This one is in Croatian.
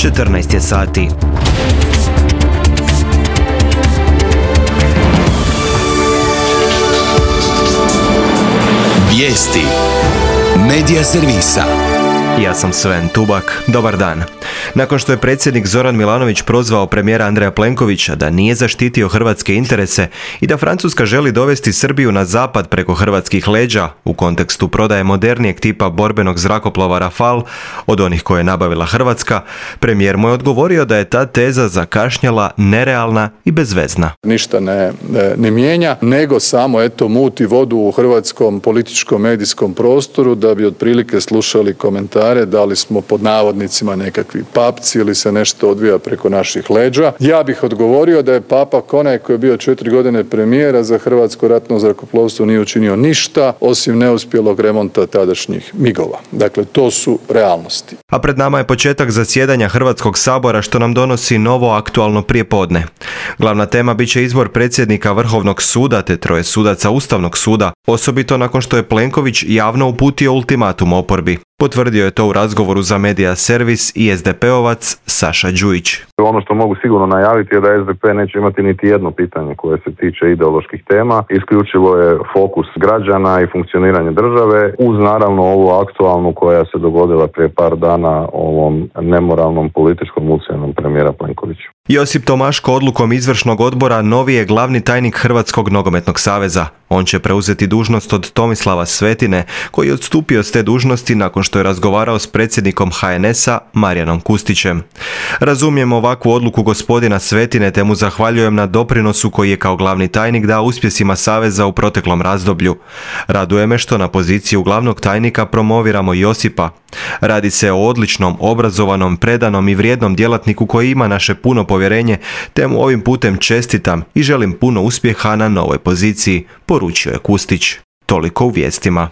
14 je sati. Vijesti Medija servisa. Ja sam Sven Tubak. Dobar dan. Nakon što je predsjednik Zoran Milanović prozvao premijera Andreja Plenkovića da nije zaštitio hrvatske interese i da Francuska želi dovesti Srbiju na zapad preko hrvatskih leđa u kontekstu prodaje modernijeg tipa borbenog zrakoplova Rafale od onih koje je nabavila Hrvatska, premijer mu je odgovorio da je ta teza zakašnjela, nerealna i bezvezna. Ništa ne mijenja, nego samo muti vodu u hrvatskom političkom medijskom prostoru da bi otprilike slušali komentare da li smo pod navodnicima nekakvi papci ili se nešto odvija preko naših leđa. Ja bih odgovorio da je Papak onaj koji je bio 4 godine premijera za hrvatsko ratno zrakoplovstvo nije učinio ništa osim neuspjelog remonta tadašnjih migova. Dakle, to su realnosti. A pred nama je početak zasjedanja Hrvatskog sabora što nam donosi novo aktualno prijepodne. Glavna tema bit će izbor predsjednika Vrhovnog suda te 3 sudaca Ustavnog suda, osobito nakon što je Plenković javno uputio ultimatum oporbi. Potvrdio je to u razgovoru za Medija servis i SDP-ovac Saša Đujić. Ono što mogu sigurno najaviti je da SDP neće imati niti jedno pitanje koje se tiče ideoloških tema. Isključivo je fokus građana i funkcioniranje države uz naravno ovu aktualnu koja se dogodila prije par dana ovom nemoralnom političkom ucjenom premijera Plenkovića. Josip Tomaško odlukom izvršnog odbora novi je glavni tajnik Hrvatskog nogometnog saveza. On će preuzeti dužnost od Tomislava Svetine, koji je odstupio s te dužnosti nakon što je razgovarao s predsjednikom HNS-a Marijanom Kustićem. Razumijem ovakvu odluku gospodina Svetine te mu zahvaljujem na doprinosu koji je kao glavni tajnik dao uspjesima saveza u proteklom razdoblju. Raduje me što na poziciju glavnog tajnika promoviramo Josipa. Radi se o odličnom, obrazovanom, predanom i vrijednom djelatniku koji ima naše puno povjerenje, te mu ovim putem čestitam i želim puno uspjeha na novoj poziciji, poručio je Kustić. Toliko u vijestima.